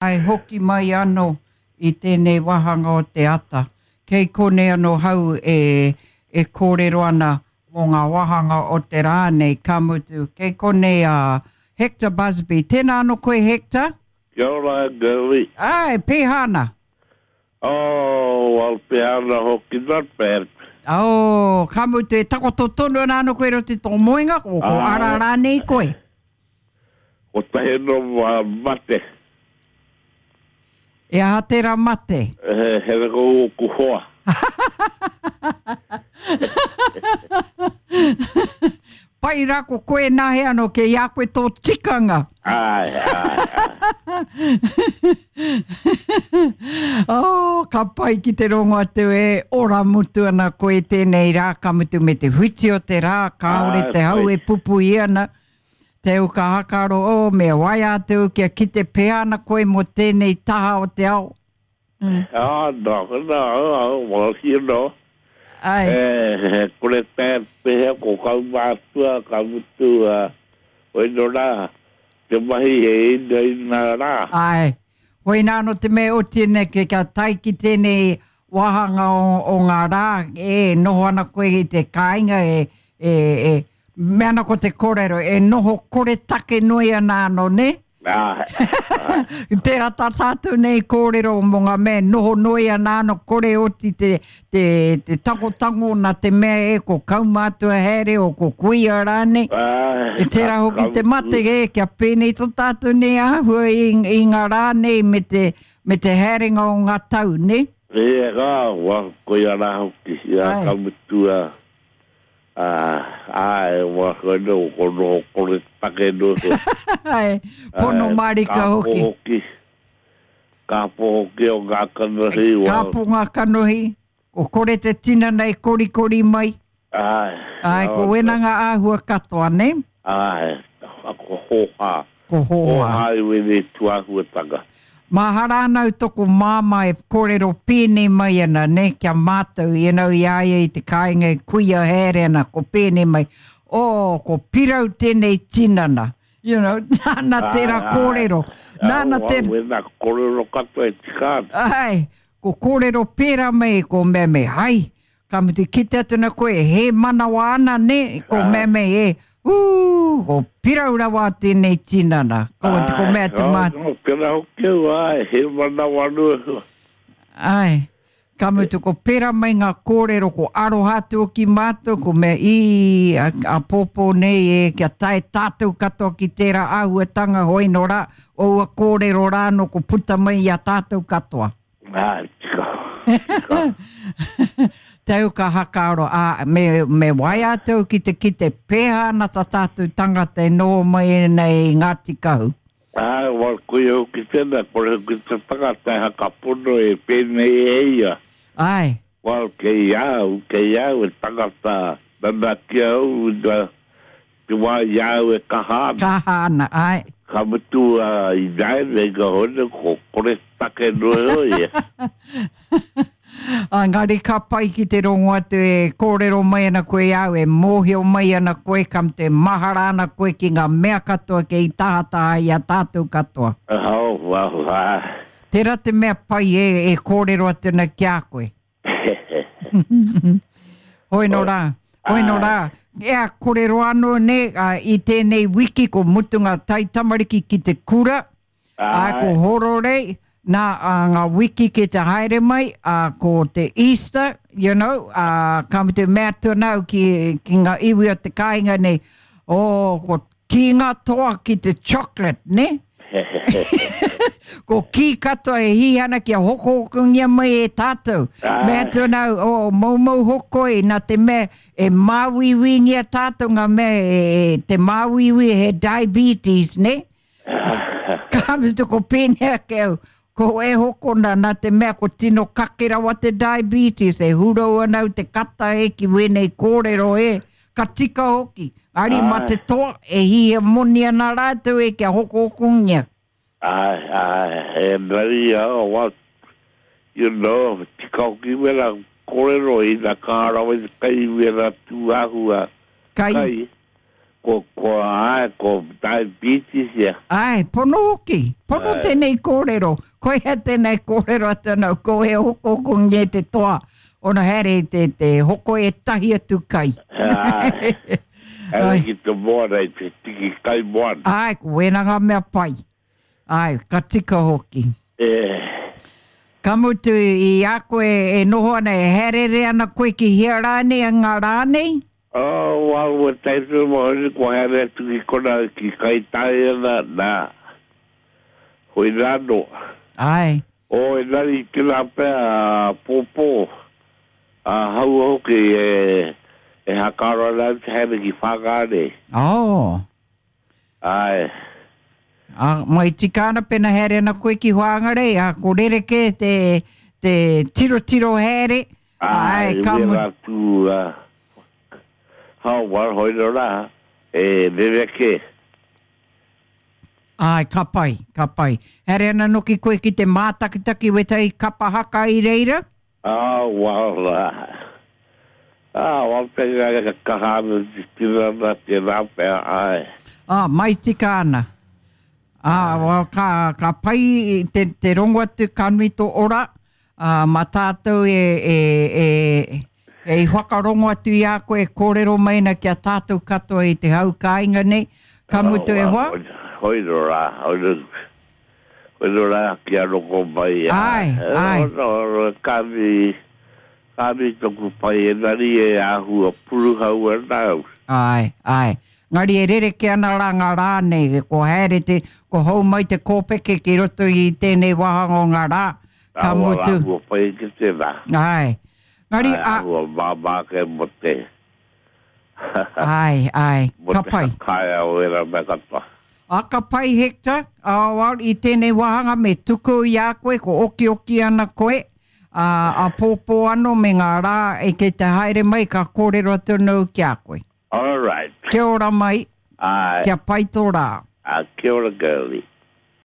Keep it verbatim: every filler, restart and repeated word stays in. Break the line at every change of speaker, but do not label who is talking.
Ai hoki mai anō i tēnei wāhanga o te ata. Kei konei anō hau e, e kōrero ana mō ngā wāhanga o te rā nei, ka mutu. Kei konei a Hector Busby. Tēnā anō koe, Hector?
Kia ora, Girlie.
Ai, pēhā ana?
Oh, well, pēhā ana hoki, not bad.
Oh, ka mutu, e takoto tonu ana anō koe roto i tō moenga, ko, ko ara rānei koe?
Kotahi anō mate.
E aha tērā mate?
He, he reka ōku hoa.
Pai rā ko koe nā he anō, kei a koe tō tikanga.
Ai, ai, ai.
Oh, ka pai ki te rongo atu e ora mutu ana koe tēnei rā, ka mutu me te whiti o te rā, kāore
Ai,
te hau
pai.
e pupuhi ana. Te au ka hakaro, oh, me waea atu kia kite pea ana koe mō tēnei taha o te ao. Mm.
Ah, no, no, oh, well, you know.
Ai.
Eh, he kore tae pehea ko kaumātua, ka mutu, uh, hoi no rā, te mahi he ina ina rā.
Ai. Hoina anō te mea oti nei ke kia tae ki tēnei wāhanga o, o ngā rā, e noho ana koe i te kāinga e, e, e mea ana ko te kōrero, e noho kore take noi ana anō, ne?
Ai, ai.
Tērā tā tātou nei kōrero mō ngā mea noho noi ana anō kore oti te, te, te tangotango nā te mea e ko kaumātua haere o ko kuia rānei.
Ai,
E tērā
ka,
hoki
ka
te mate
mutu.
e, kia pēnei tō tātou nei āhua i, i ngā rā nei me te, me te haerenga o ngā tau, ne?
E, ka, wa, koia rā hoki, ia,
Ai.
ka mutu, ah, ah, ai, wa, koe no, ko noho kore take noa koe.
Ai, pono
Ai,
mārika
ka
hoki.
hoki. Ka hoki o ngā kanohi, wa.
Ka po ngā kanohi, ko kore te tinana e korikori mai.
Ai,
Ai, ko
oh,
wena ngā āhua katoa, ne?
Ai, ko hōhā.
Ko hōhā.
Hōhā i wene tuahuatanga.
Mahara ana au toko māmā e kōrero pēnei mai ana, ne, kia mātou, you know, i a ia i te kāinga e kuia haere ana, ko pēnei mai, oh, ko pirau tēnei tinana. You know, nāna tērā
Ai, ai.
kōrero. Nāna
Au, au,
tērā.
wena kōrero katoa e tika ana.
Ai, ko kōrero pērā mai, ko mea mea, hai, ka mutu kite atu na koe, he manawa ana, ne, ko
Ai.
mea mea, e, ū, ko pirau rawa tēnei tinana. Ko, ko
Ai,
mea te
oh,
mā.
no, pera hoki au, ai, he manawa nua.
Ai, ka mutu ko pērā mai ngā kōrero, ko aroha atu ki mātou, ko mea i a, a pōpō nei e, kia tae tātou katoa ki tērā āhuatanga hoi no rā, o ua kōrero rā no ko puta mai i a tātou katoa.
Ai, tika, tika.
Te au ka hakaaro, a, me, me waea atu ki te kite pēhā ana tā tātou tangata e noho mai ana i Ngāti Kahu.
Ai, wa, koia hoki tēnā, kore hoki te tangata e hakapono e pēnei e ia.
Ai.
Well, kei au, kei au e tangata nana ki au, na, te wā i au e kaha ana.
Kaha ana, ai.
Ka mutu uh, i nāianei ka hone, ko kore take noa hoi e.
Engari ka pai ki te rongo atu e kōrero mai ana koe i au, e mōhio mai ana koe, kam te mahara ana koe ki ngā mea katoa kei tahataha i a tātou katoa.
Oh, well, ah.
Tērā te mea pai e, e kōrero atu ana ki a koe. Hoi no rā, hoi no rā. Ea kōrero anō ne, a, i tēnei wiki ko mutunga tai tamariki ki te kura, a, ko Hororei, nā a, ngā wiki ki te haere mai, a, ko te Easter, you know, a, ka mutu mea atu ana au ki, ki ngā iwi o te kāinga nei, oh, ko ki ngā toa ki te chocolate, ne? Ko ki katoa e hi ana kia hokohokongia mai e tātou.
Ai.
Mea atu ana au, oh, moumou hokoi, nā te mea e māuiuingia tātou ngā mea e, e, te māuiui he diabetes, ne? Ka mutu ko pēnei ake au, ko e hokona nā te mea ko tino kake rawa te diabetes, e hurau ana au te kata e ki wēnei kōrero e, ka tika hoki. Ari mā te
Ai.
toa e hia moni ana rātou e kia hokohokongia.
Ai, ai, e nari a, well, you know, tika hoki wera kōrero i nā ka rawa i te kai wera tūāhua
Kai.
kai. Ko, ko, ai, ko diabetes ia.
Ai, pono hoki. Pono
Ai.
tēnei kōrero. Ko hea tēnei kōrero atu anau, ko he hoko hoko nge te toa. Ona haere te, te hoko e tahi atu kai.
Ai. Haere
Ai.
ki te moana i te tiki kai moana.
Ai, ko wena ngā mea pai. Ai, ka tika hoki.
E,
Ka mutu i a koe e noho ana, e haerere ana koe ki hea rānei a ngā rānei?
oh, wā ua taitu mo hori ko haere atu ki kona ki kai tai ana, nā. Hoi rāno.
Ai,
O, e nari tēnā pea a pōpō, a haua hoki e, e hakaro ana te haere ki Whangārei.
oh.
Ai,
A, mai tika ana pena haere ana koe ki Whangarei, a ko rereke te, te tiro tiro haere.
ai,
Ai, ka
wera
mutu.
atu, uh, hau war hoi no rā, e rereke.
Ai, ka pai, ka pai. Haere ana noki koe ki te mātakitaki wetai kapa haka i reira?
Ah, wala. Ah, wala pena ka kahana te tirana te rā pea, ai.
Ah, mai tika ana. Ah, well, ka, ka pai te, te rongo atu ka nui tō ora. Ah, mā tātou e, e, e, e i whakarongo atu i a koe e kōrero mai na kia tātou katoa i te hau kāinga nei. Ka mutu e hoa?
Hoi no rā, hoi no, hoi no rā kia roko mai.
Ai, ai.
No, no, ka mi, ka mi toku pai e nari e āhua puruhau ana au.
Ai, ai. Ngari e rereke ana rā ngā rā nei, ko haere te, ko hou mai te kōpeke ki roto i tēnei wāhanga o ngā rā. Ka
Āhua
mutu.
āhua pai ki te rā.
Ai. Ngari,
Ai,
a,
āhua māmā ke mo te.
ai, ai.
Mo
Ka
te
pai.
hakaia o era mea katoa.
A ka pai, Hector, a, well, i tēnei wāhanga me tuku i a koe, ko oki oki ana koe, a, a pōpō ano me ngā rā e kei te haere mai ka kōrero atu nau ki a koe.
All right.
Kia ora mai,
Ai,
kia pai tō rā.
a kia ora girlie.